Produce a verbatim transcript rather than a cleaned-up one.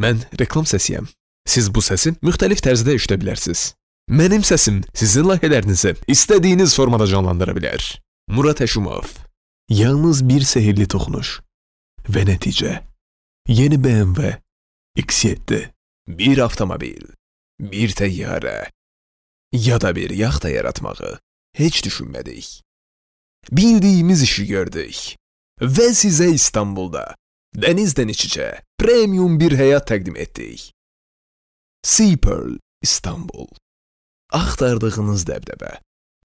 Mən reklam səsiyəm. Siz bu səsi müxtəlif tərzdə eşidə bilərsiniz. Mənim səsim sizin layihələrinizi istədiyiniz formada canlandıra bilər. Murat Həşimov. Yalnız bir sehirli toxunuş və nəticə. Yeni B M W X yeddi. Bir avtomobil, bir təyyarə ya da bir yaxta yaratmağı heç düşünmədik. Bildiyimiz işi gördük və sizə İstanbulda dənizdən iç-içə premium bir həyat təqdim etdik. Sea Pearl İstanbul. Axtardığınız dəbdəbə.